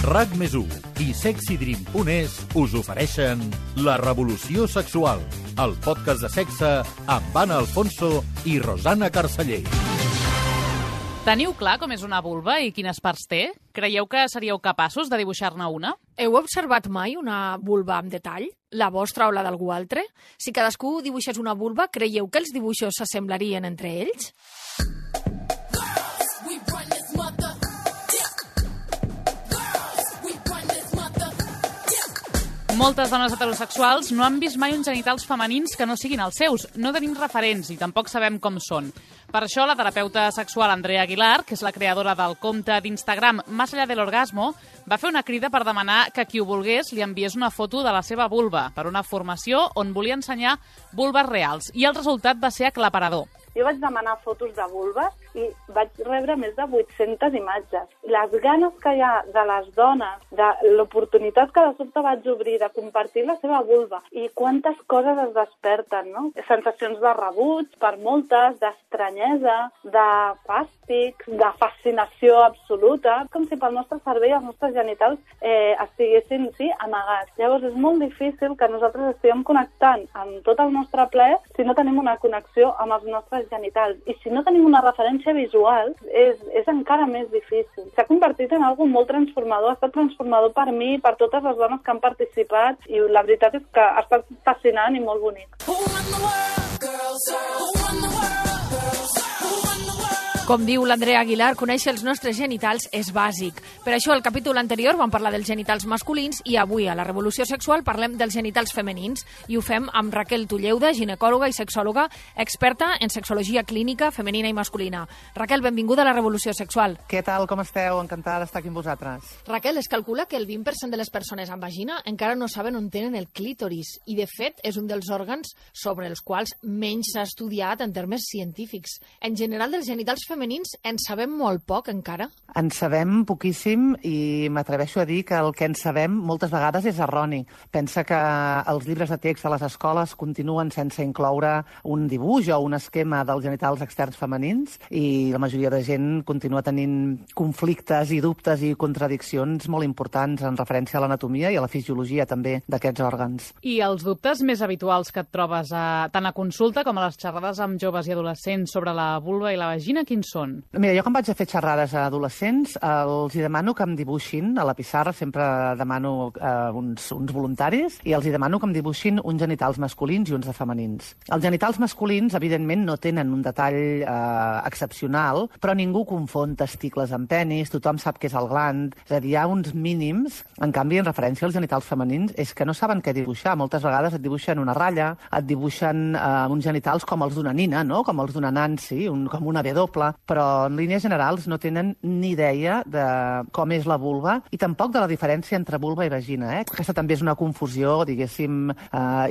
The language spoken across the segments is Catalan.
RAC+1 i SexyDream.es us ofereixen La Revolució Sexual, el podcast de sexe amb Anna Alfonso i Rosana Carceller. Teniu clar com és una vulva i quines parts té? Creieu que seríeu capaços de dibuixar-ne una? Heu observat mai una vulva amb detall? La vostra o la d'algú altre? Si cadascú dibuixés una vulva, creieu que els dibuixos s'assemblarien entre ells? Moltes dones heterosexuals no han vist mai uns genitals femenins que no siguin els seus. No tenim referents i tampoc sabem com són. Per això, la terapeuta sexual Andrea Aguilar, que és la creadora del compte d'Instagram Más allá del orgasmo, va fer una crida per demanar que qui ho volgués li enviés una foto de la seva vulva per una formació on volia ensenyar vulves reals. I el resultat va ser aclaparador. Jo vaig demanar fotos de vulves i vaig rebre més de 800 imatges. Les ganes que hi ha de les dones, de l'oportunitat que de sobte vaig obrir de compartir la seva vulva i quantes coses es desperten, no? Sensacions de rebuig per moltes, d'estranyesa, de fàstic, de fascinació absoluta, com si pel nostre cervell els nostres genitals estiguessin, amagats. Llavors és molt difícil que nosaltres estiguem connectant amb tot el nostre plaer si no tenim una connexió amb els nostres genitals. I si no tenim una referència visual, és encara més difícil. S'ha convertit en algo molt transformador, ha estat transformador per mi, per totes les dones que han participat, i la veritat és que ha estat fascinant i molt bonic. Com diu l'Andrea Aguilar, conèixer els nostres genitals és bàsic. Per això, al capítol anterior vam parlar dels genitals masculins i avui, a la Revolució Sexual, parlem dels genitals femenins i ho fem amb Raquel Tulleuda, ginecòloga i sexòloga, experta en sexologia clínica femenina i masculina. Raquel, benvinguda a la Revolució Sexual. Què tal, com esteu? Encantada d'estar aquí amb vosaltres. Raquel, es calcula que el 20% de les persones amb vagina encara no saben on tenen el clítoris i, de fet, és un dels òrgans sobre els quals menys s'ha estudiat en termes científics. En general, dels genitals femenins en sabem molt poc encara? En sabem poquíssim i m'atreveixo a dir que el que en sabem moltes vegades és erroni. Pensa que els llibres de text a les escoles continuen sense incloure un dibuix o un esquema dels genitals externs femenins i la majoria de gent continua tenint conflictes i dubtes i contradiccions molt importants en referència a l'anatomia i a la fisiologia també d'aquests òrgans. I els dubtes més habituals que et trobes tant a consulta com a les xerrades amb joves i adolescents sobre la vulva i la vagina, quins són? Mira, jo quan vaig a fer xerrades a adolescents els hi demano que em dibuixin a la pissarra, sempre demano uns voluntaris, i els hi demano que em dibuixin uns genitals masculins i uns de femenins. Els genitals masculins, evidentment, no tenen un detall excepcional, però ningú confon testicles amb penis, tothom sap què és el gland, és a dir, hi ha uns mínims. En canvi, en referència als genitals femenins, és que no saben què dibuixar. Moltes vegades et dibuixen una ratlla, et dibuixen uns genitals com els d'una nina, no? Com els d'una Nancy, com una W, però en línies generals no tenen ni idea de com és la vulva i tampoc de la diferència entre vulva i vagina. Aquesta també és una confusió, diguéssim,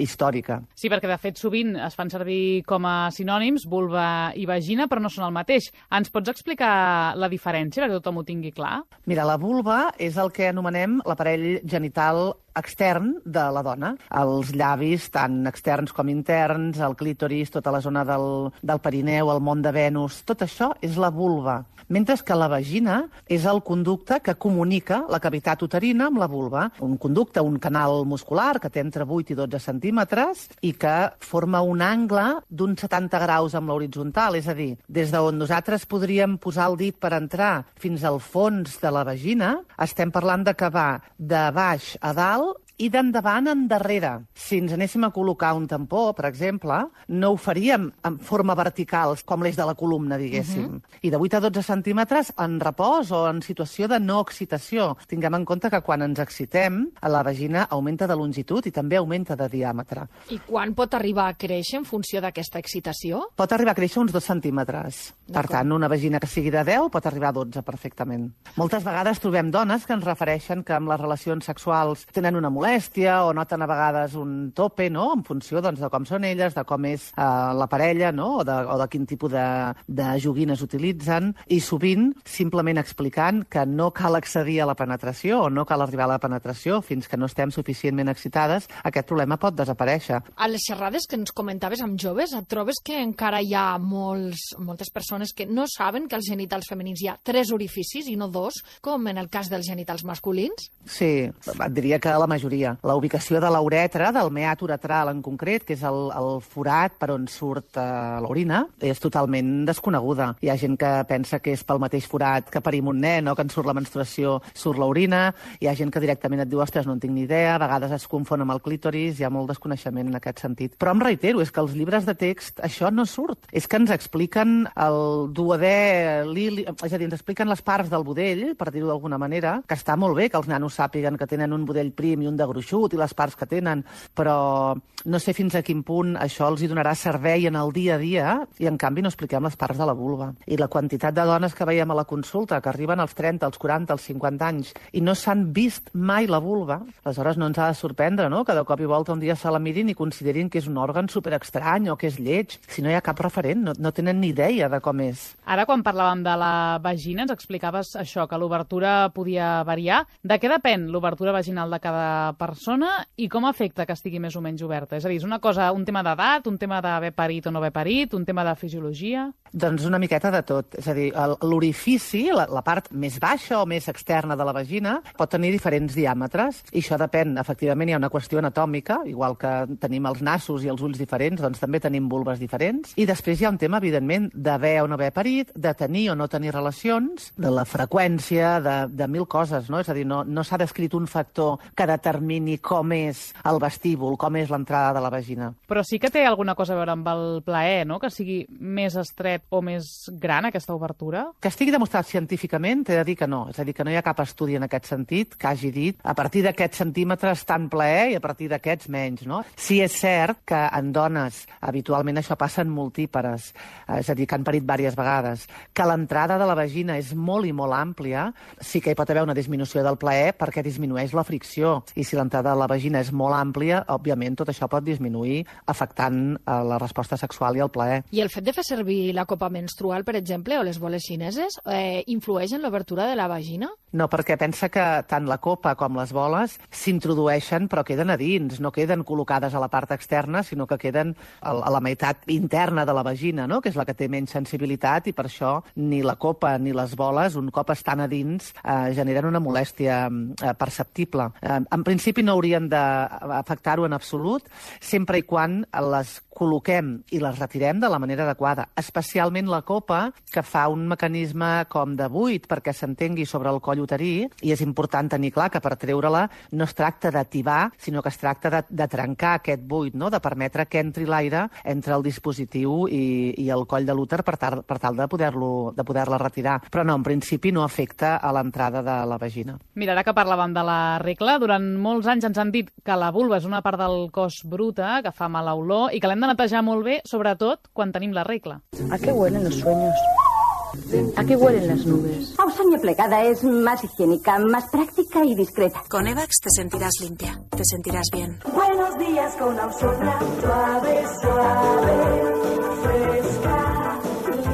històrica. Sí, perquè de fet sovint es fan servir com a sinònims vulva i vagina, però no són el mateix. Ens pots explicar la diferència perquè tothom ho tingui clar? Mira, la vulva és el que anomenem l'aparell genital extern de la dona. Els llavis, tant externs com interns, el clítoris, tota la zona del perineu, el món de Venus, tot això és la vulva. Mentre que la vagina és el conducte que comunica la cavitat uterina amb la vulva. Un conducte, un canal muscular que té entre 8 i 12 centímetres i que forma un angle d'uns 70 graus amb l'horitzontal, és a dir, des d'on nosaltres podríem posar el dit per entrar fins al fons de la vagina, estem parlant de que va de baix a dalt i d'endavant a endarrere. Si ens anéssim a col·locar un tampó, per exemple, no ho faríem en forma vertical, com l'eix de la columna, diguéssim. I de 8 a 12 centímetres en repòs o en situació de no excitació. Tinguem en compte que quan ens excitem, la vagina augmenta de longitud i també augmenta de diàmetre. I quan pot arribar a créixer en funció d'aquesta excitació? Pot arribar a créixer uns 2 centímetres. Per tant, una vagina que sigui de 10 pot arribar a 12 perfectament. Moltes vegades trobem dones que ens refereixen que amb les relacions sexuals tenen una molèstia molèstia o noten a vegades un tope, no?, en funció doncs, de com són elles, de com és la parella, no?, o de quin tipus de joguines utilitzen, i sovint simplement explicant que no cal accedir a la penetració o no cal arribar a la penetració fins que no estem suficientment excitades, aquest problema pot desaparèixer. A les xerrades que ens comentaves amb joves, et trobes que encara hi ha moltes persones que no saben que als genitals femenins hi ha 3 orificis i no 2, com en el cas dels genitals masculins? Sí, et diria que la majoria. La ubicació de l'uretra, del meat uretral en concret, que és el forat per on surt l'orina, és totalment desconeguda. Hi ha gent que pensa que és pel mateix forat que parim un nen o que en surt la menstruació, surt l'orina. Hi ha gent que directament et diu, ostres, no en tinc ni idea, a vegades es confon amb el clítoris, hi ha molt desconeixement en aquest sentit. Però em reitero, és que els llibres de text això no surt. És que ens expliquen el duodè, és a dir, ens expliquen les parts del budell, per dir-ho d'alguna manera, que està molt bé que els nanos sàpiguen que tenen un budell prim i un de gruixut i les parts que tenen, però no sé fins a quin punt això els hi donarà servei en el dia a dia i, en canvi, no expliquem les parts de la vulva. I la quantitat de dones que veiem a la consulta, que arriben als 30, als 40, als 50 anys i no s'han vist mai la vulva, aleshores no ens ha de sorprendre, no?, que de cop i volta un dia se la mirin i considerin que és un òrgan superestrany o que és lleig. Si no hi ha cap referent, no tenen ni idea de com és. Ara, quan parlàvem de la vagina, ens explicaves això, que l'obertura podia variar. De què depèn l'obertura vaginal de cada persona i com afecta que estigui més o menys oberta? És a dir, és una cosa, un tema d'edat, un tema d'haver parit o no haver parit, un tema de fisiologia? Doncs una miqueta de tot. És a dir, l'orifici, la part més baixa o més externa de la vagina, pot tenir diferents diàmetres i això depèn. Efectivament, hi ha una qüestió anatòmica, igual que tenim els nassos i els ulls diferents, doncs també tenim vulves diferents. I després hi ha un tema, evidentment, d'haver o no haver parit, de tenir o no tenir relacions, de la freqüència, de mil coses, no? És a dir, no s'ha descrit un factor que determini com és el vestíbul, com és l'entrada de la vagina. Però sí que té alguna cosa a veure amb el plaer, no?, que sigui més estret o més gran, aquesta obertura? Que estigui demostrat científicament, t'he de dir que no. És a dir, que no hi ha cap estudi en aquest sentit que hagi dit a partir d'aquests centímetres tant plaer i a partir d'aquests menys, no? Sí és cert que en dones habitualment això passa en multípares, és a dir, que han parit diverses vegades, que l'entrada de la vagina és molt i molt àmplia, sí que hi pot haver una disminució del plaer perquè disminueix la fricció. I si l'entrada de la vagina és molt àmplia, òbviament tot això pot disminuir afectant la resposta sexual i el plaer. I el fet de fer servir la copa menstrual, per exemple, o les boles xineses, influeix en l'obertura de la vagina? No, perquè pensa que tant la copa com les boles s'introdueixen però queden a dins, no queden col·locades a la part externa, sinó que queden a la meitat interna de la vagina, no?, que és la que té menys sensibilitat, i per això ni la copa ni les boles, un cop estan a dins, generen una molèstia perceptible. En principi no haurien d'afectar-ho en absolut, sempre i quan les col·loquem i les retirem de la manera adequada, especialment la copa, que fa un mecanisme com de buit perquè s'entengui sobre el coll uterí, i és important tenir clar que per treure-la no es tracta d'ativar, sinó que es tracta de trencar aquest buit, no?, de permetre que entri l'aire entre el dispositiu i el coll de l'úter per tal de poder-la retirar. Però no, en principi no afecta a l'entrada de la vagina. Mira, ara que parlàvem de la regla, durant molts anys ens han dit que la vulva és una part del cos bruta, que fa mala olor i que l'hem de netejar molt bé, sobretot quan tenim la regla. ¿A qué huelen los sueños? ¿A qué huelen las nubes? Ausonia plegada es más higiénica, más práctica y discreta. Con Evax te sentirás limpia, te sentirás bien. Buenos días con Ausonia, suave, suave, fresca,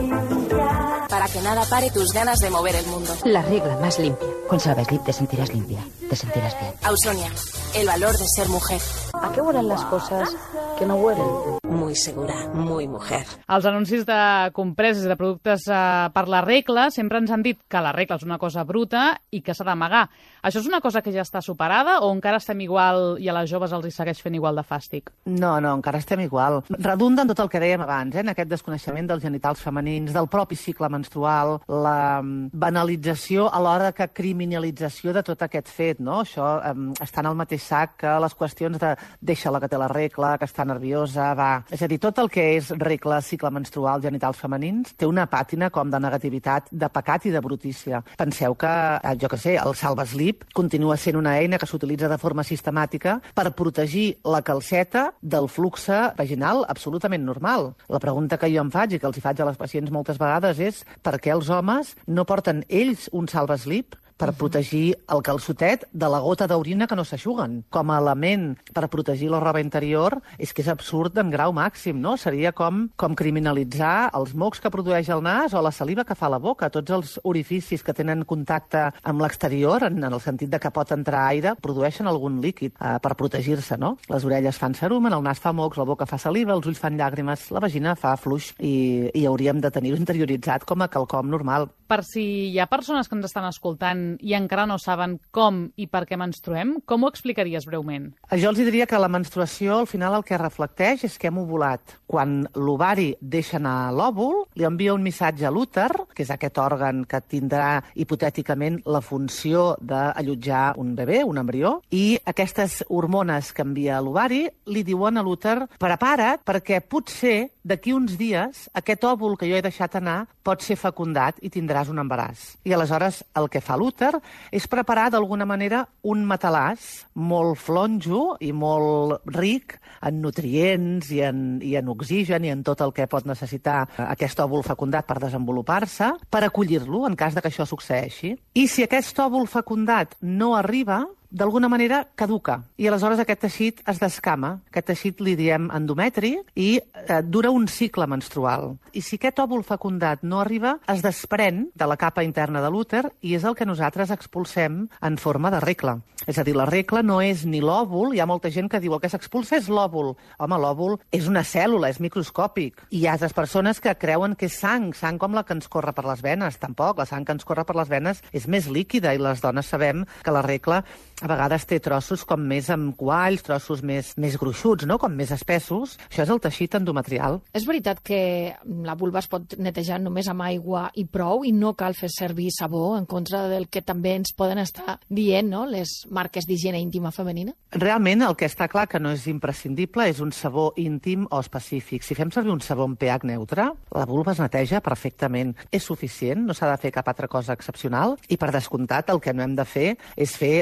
limpia. Para que nada pare tus ganas de mover el mundo. La regla más limpia. Con Suaveslip te sentirás limpia, te sentirás bien. Ausonia, el valor de ser mujer. ¿A qué huelen las cosas que no huelen? Muy segura, muy mujer. Els anuncis de compreses i de productes per la regla sempre ens han dit que la regla és una cosa bruta i que s'ha d'amagar. Això és una cosa que ja està superada o encara estem igual i a les joves els hi segueix fent igual de fàstic? No, encara estem igual. Redunda en tot el que dèiem abans, en aquest desconeixement dels genitals femenins, del propi cicle menstrual, la banalització a l'hora que criminalització de tot aquest fet, no? Això està en el mateix sac que les qüestions de deixa-la que té la regla, que està nerviosa, va... És a dir, tot el que és regla, cicle menstrual, genitals femenins, té una pàtina com de negativitat, de pecat i de brutícia. Penseu que, jo què sé, el Salvaslip continua sent una eina que s'utilitza de forma sistemàtica per protegir la calceta del flux vaginal absolutament normal. La pregunta que jo em faig i que els hi faig a les pacients moltes vegades és per què els homes no porten ells un Salvaslip per protegir el calçotet de la gota d'orina que no s'aixuguen. Com a element per protegir la roba interior és que és absurd en grau màxim, no? Seria com criminalitzar els mocs que produeix el nas o la saliva que fa la boca. Tots els orificis que tenen contacte amb l'exterior, en el sentit de que pot entrar aire, produeixen algun líquid per protegir-se, no? Les orelles fan cerumen, el nas fa mocs, la boca fa saliva, els ulls fan llàgrimes, la vagina fa fluix i hauríem de tenir-ho interioritzat com a quelcom normal. Per si hi ha persones que ens estan escoltant i encara no saben com i per què menstruem, com ho explicaries breument? Jo els diria que la menstruació, al final, el que reflecteix és que hem ovulat. Quan l'ovari deixa anar l'òvul, li envia un missatge a l'úter, que és aquest òrgan que tindrà hipotèticament la funció d'allotjar un bebè, un embrió, i aquestes hormones que envia l'ovari li diuen a l'úter: prepara't perquè potser d'aquí uns dies aquest òvul que jo he deixat anar pot ser fecundat i tindràs un embaràs. I aleshores el que fa l'úter és preparar d'alguna manera un matalàs molt flonjo i molt ric en nutrients i en oxigen i en tot el que pot necessitar aquest òvul fecundat per desenvolupar-se, per acollir-lo en cas de que això succeeixi. I si aquest òvul fecundat no arriba, d'alguna manera caduca, i aleshores aquest teixit es descama. Aquest teixit li diem endometri i dura un cicle menstrual. I si aquest òvul fecundat no arriba, es desprèn de la capa interna de l'úter i és el que nosaltres expulsem en forma de regla. És a dir, la regla no és ni l'òvul, hi ha molta gent que diu el que s'expulsa és l'òvul. Home, l'òvul és una cèl·lula, és microscòpic. I hi ha altres persones que creuen que és sang com la que ens corre per les venes. Tampoc, la sang que ens corre per les venes és més líquida i les dones sabem que la regla a vegades té trossos com més amb qualls, trossos més gruixuts, no? Com més espessos. Això és el teixit endometrial. És veritat que la vulva es pot netejar només amb aigua i prou i no cal fer servir sabó, en contra del que també ens poden estar dient, no?, les marques d'higiene íntima femenina? Realment el que està clar que no és imprescindible és un sabó íntim o específic. Si fem servir un sabó amb pH neutre, la vulva es neteja perfectament. És suficient, no s'ha de fer cap altra cosa excepcional i, per descomptat, el que no hem de fer és fer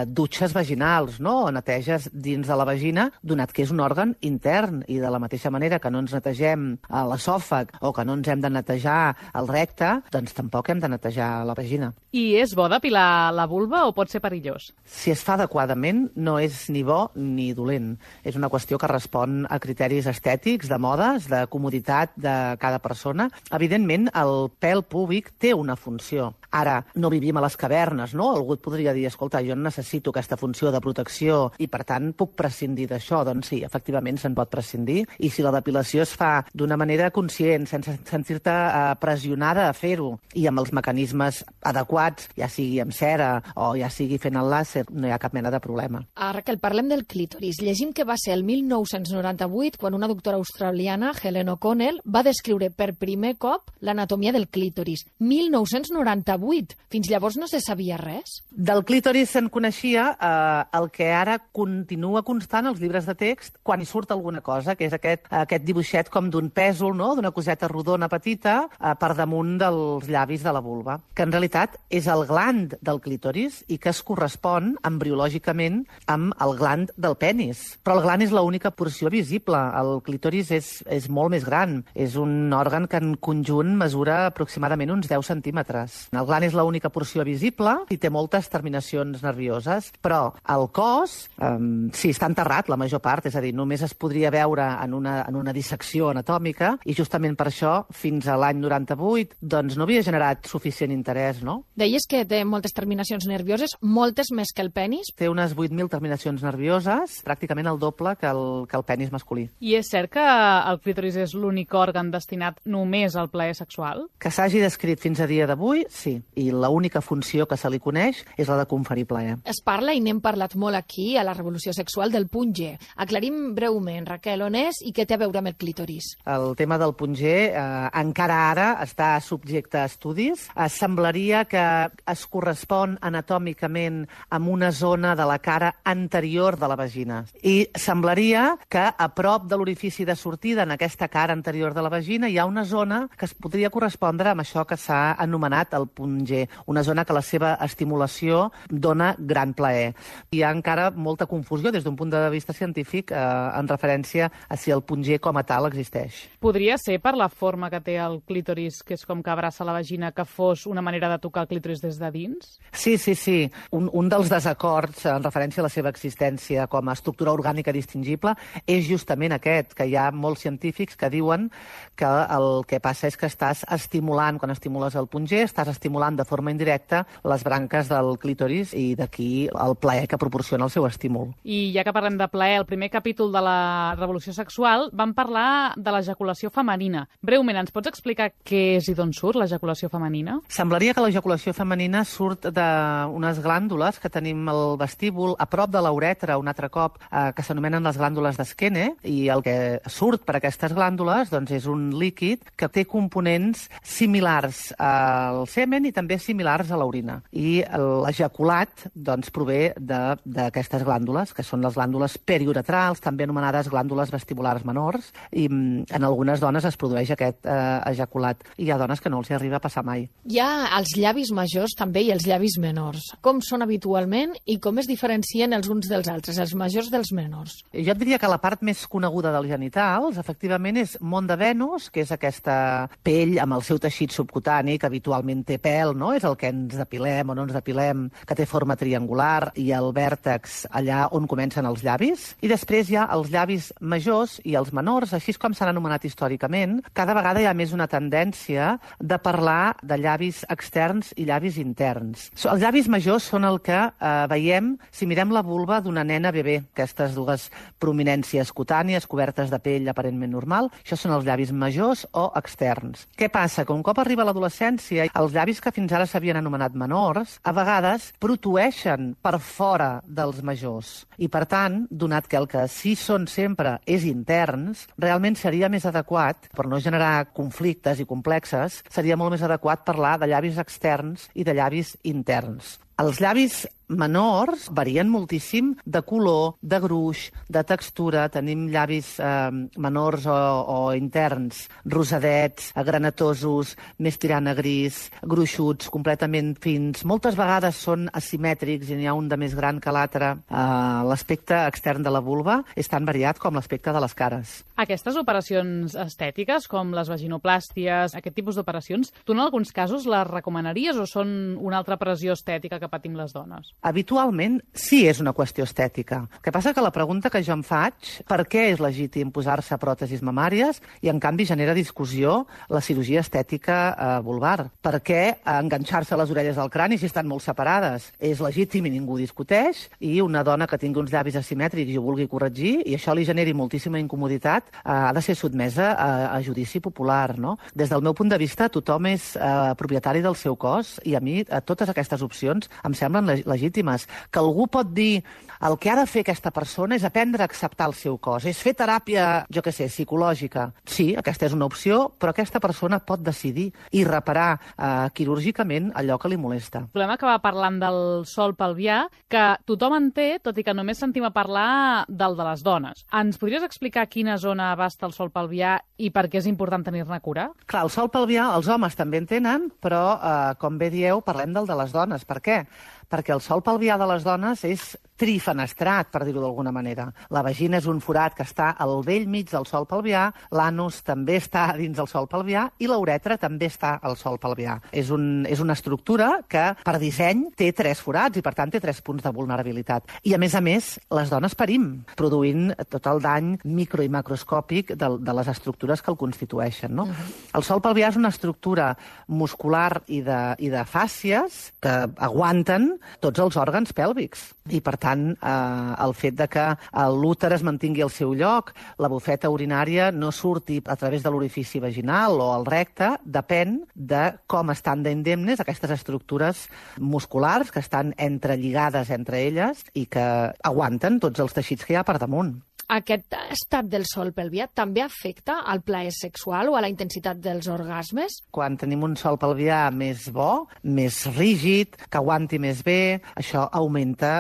dutxes vaginals, no? O neteges dins de la vagina, donat que és un òrgan intern, i de la mateixa manera que no ens netegem l'esòfag o que no ens hem de netejar el recte, doncs tampoc hem de netejar la vagina. I és bo depilar la vulva o pot ser perillós? Si es fa adequadament, no és ni bo ni dolent. És una qüestió que respon a criteris estètics, de modes, de comoditat de cada persona. Evidentment, el pèl púbic té una funció. Ara, no vivim a les cavernes, no? Algú et podria dir, escolta, jo necessito aquesta funció de protecció i, per tant, puc prescindir d'això. Doncs sí, efectivament, se'n pot prescindir. I si la depilació es fa d'una manera conscient, sense sentir-te pressionada a fer-ho, i amb els mecanismes adequats, ja sigui amb cera o ja sigui fent el làser, no hi ha cap mena de problema. Raquel, parlem del clítoris. Llegim que va ser el 1998 quan una doctora australiana, Helen O'Connell, va descriure per primer cop l'anatomia del clítoris. 1998. Fins llavors no se sabia res? Del clítoris se'n coneixia el que ara continua constant als llibres de text quan hi surt alguna cosa, que és aquest dibuixet com d'un pèsol, no?, d'una coseta rodona petita per damunt dels llavis de la vulva, que en realitat és el gland del clítoris i que es correspon embriològicament amb el gland del penis. Però el gland és l'única porció visible. El clítoris és molt més gran. És un òrgan que en conjunt mesura aproximadament uns 10 centímetres. El gland és l'única porció visible i té moltes terminacions nervioses, però el cos, sí, està enterrat la major part, és a dir, només es podria veure en una dissecció anatòmica, i justament per això, fins a l'any 98, doncs no havia generat suficient interès, no? Deies que té moltes terminacions nervioses, moltes més que el penis? Té unes 8.000 terminacions nervioses, pràcticament el doble que el penis masculí. I és cert que el clítoris és l'únic òrgan destinat només al plaer sexual? Que s'hagi descrit fins a dia d'avui, sí. I l'única funció que se li coneix és la de conferir plaer. Es parla, i n'hem parlat molt aquí, a la Revolució Sexual, del punt G. Aclarim breument, Raquel, on és i què té a veure amb el clítoris? El tema del punt G encara ara està subjecte a estudis. Semblaria que es correspon anatòmicament amb una zona de la cara anterior de la vagina. I semblaria que a prop de l'orifici de sortida, en aquesta cara anterior de la vagina, hi ha una zona que es podria correspondre amb això que s'ha anomenat el punt G, una zona que la seva estimulació dona gran plaer. Hi ha encara molta confusió des d'un punt de vista científic en referència a si el punt G com a tal existeix. Podria ser per la forma que té el clítoris, que és com que abraça la vagina, que fos una manera de tocar el clítoris des de dins? Sí. Un dels desacords en referència a la seva existència com a estructura orgànica distingible és justament aquest, que hi ha molts científics que diuen que el que passa és que estàs estimulant, quan estimules el punt G, estàs estimulant de forma indirecta les branques del clítoris i d'aquí el plaer que proporciona el seu estímul. I ja que parlem de plaer, el primer capítol de la revolució sexual vam parlar de l'ejaculació femenina. Breument, ens pots explicar què és i d'on surt l'ejaculació femenina? Semblaria que l'ejaculació femenina surt d'unes glàndules que tenim al vestíbul, a prop de la uretra, un altre cop, que s'anomenen les glàndules d'Eskene, i el que surt per aquestes glàndules doncs, és un líquid que té components similars al semen i també similars a l'orina. I l'ejaculat doncs, prové d'aquestes glàndules, que són les glàndules periuretrals, també anomenades glàndules vestibulars menors, i en algunes dones es produeix aquest ejaculat. I hi ha dones que no els hi arriba a passar mai. Hi ha els llavis majors també i els llavis menors. Com són habitualment i com es diferencien els uns dels altres, els majors dels menors? Jo et diria que la part més coneguda dels genitals, efectivament, és mont de Venus, que és aquesta pell amb el seu teixit subcutani, que habitualment té pèl, no? És el que ens depilem o no ens depilem, que té forma triangular, i el vèrtex allà on comencen els llavis. I després hi ha els llavis majors i els menors, així com s'han anomenat històricament. Cada vegada hi ha més una tendència de parlar de llavis externs i llavis interns. Els llavis majors són el que veiem si mirem la vulva d'una nena bebè, aquestes dues prominències cutànies cobertes de pell aparentment normal. Això són els llavis majors o externs. Què passa? Que un cop arriba l'adolescència, els llavis que fins ara s'havien anomenat menors, a vegades protueixen per fora dels majors. I per tant, donat que el que sí són sempre és interns, realment seria més adequat, per no generar conflictes i complexes, seria molt més adequat parlar de llavis externs i de llavis interns. Els llavis menors varien moltíssim de color, de gruix, de textura. Tenim llavis menors o interns, rosadets, granatosos, més tirant a gris, gruixuts, completament fins. Moltes vegades són asimètrics i n'hi ha un de més gran que l'altre. L'aspecte extern de la vulva és tan variat com l'aspecte de les cares. Aquestes operacions estètiques, com les vaginoplàsties, aquest tipus d'operacions, tu en alguns casos les recomanaries o són una altra pressió estètica que patim les dones? Habitualment sí és una qüestió estètica. El que passa que la pregunta que jo em faig, per què és legítim posar-se pròtesis mamàries i en canvi genera discussió la cirurgia estètica vulvar? Per què enganxar-se les orelles al crani si estan molt separades? És legítim i ningú discuteix, i una dona que tingui uns llavis asimètrics i ho vulgui corregir i això li generi moltíssima incomoditat, ha de ser sotmesa a judici popular, no? Des del meu punt de vista, tothom és propietari del seu cos i a mi totes aquestes opcions em semblen legítimes. Que algú pot dir el que ha de fer aquesta persona és aprendre a acceptar el seu cos, és fer teràpia, jo què sé, psicològica. Sí, aquesta és una opció, però aquesta persona pot decidir i reparar quirúrgicament allò que li molesta. Volem acabar parlant del sòl pelvià, que tothom en té, tot i que només sentim a parlar del de les dones. Ens podries explicar quina zona abasta el sòl pelvià i per què és important tenir-ne cura? Clar, el sòl pelvià els homes també en tenen, però, com bé dieu, parlem del de les dones. Per què? Perquè el sòl pelvià de les dones és trifenestrat, per dir-ho d'alguna manera. La vagina és un forat que està al vell mig del sòl pelvià, l'anus també està dins del sòl pelvià i la uretra també està al sòl pelvià. És una estructura que, per disseny, té 3 forats i, per tant, té 3 punts de vulnerabilitat. I, a més, les dones parim, produint tot el dany micro i macroscòpic de les estructures que el constitueixen, no? El sòl pelvià és una estructura muscular i de fàscies que aguanten tots els òrgans pèlvics. I, per tant, el fet de que l'úter es mantingui al seu lloc, la bufeta urinària no surti a través de l'orifici vaginal o el recte, depèn de com estan d'indemnes aquestes estructures musculars que estan entrelligades entre elles i que aguanten tots els teixits que hi ha per damunt. Aquest estat del sòl pelvià també afecta al plaer sexual o a la intensitat dels orgasmes? Quan tenim un sòl pelvià més bo, més rígid, que aguanti més bé, això augmenta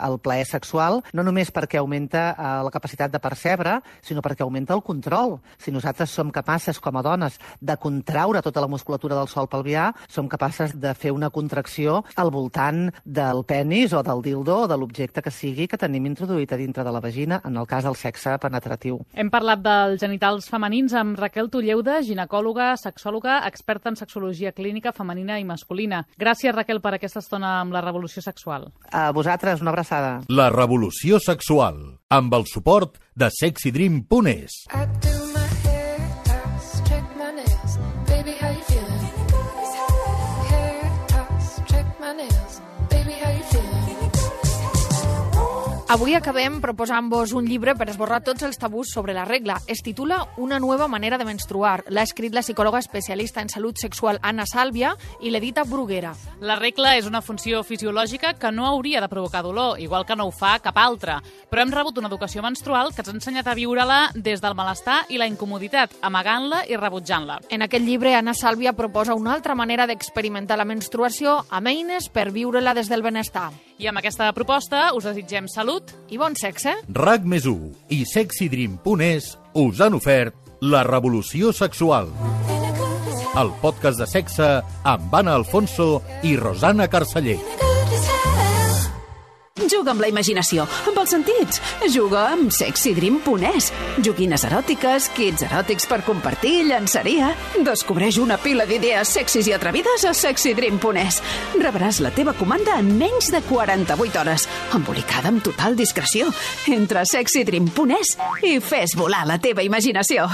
el plaer sexual, no només perquè augmenta la capacitat de percebre, sinó perquè augmenta el control. Si nosaltres som capaces, com a dones, de contraure tota la musculatura del sòl pelvià, som capaces de fer una contracció al voltant del penis o del dildo o de l'objecte que sigui que tenim introduït a dintre de la vagina, en el cas del sexe penetratiu. Hem parlat dels genitals femenins amb Raquel Tulleuda, ginecòloga, sexòloga, experta en sexologia clínica femenina i masculina. Gràcies, Raquel, per aquesta estona amb la Revolució Sexual. A vosaltres, una abraçada. La Revolució Sexual, amb el suport de sexydream.es. Avui acabem proposant-vos un llibre per esborrar tots els tabús sobre la regla. Es titula Una nueva manera de menstruar. L'ha escrit la psicòloga especialista en salut sexual Anna Sàlvia i l'edita Bruguera. La regla és una funció fisiològica que no hauria de provocar dolor, igual que no ho fa cap altra. Però hem rebut una educació menstrual que ens ha ensenyat a viure-la des del malestar i la incomoditat, amagant-la i rebutjant-la. En aquest llibre, Anna Sàlvia proposa una altra manera d'experimentar la menstruació amb eines per viure-la des del benestar. I amb aquesta proposta us desitgem salut i bon sexe. RAC+1 i sexydream.es us han ofert La Revolució Sexual, el podcast de sexe amb Anna Alfonso i Rosana Carceller. Juga amb la imaginació, amb els sentits. Juga amb sexydream.es. Joguines eròtiques, kits eròtics per compartir, llançaria. Descobreix una pila d'idees sexis i atrevides a sexydream.es. Rebràs la teva comanda en menys de 48 hores, embolicada amb total discreció. Entra a sexydream.es i fes volar la teva imaginació.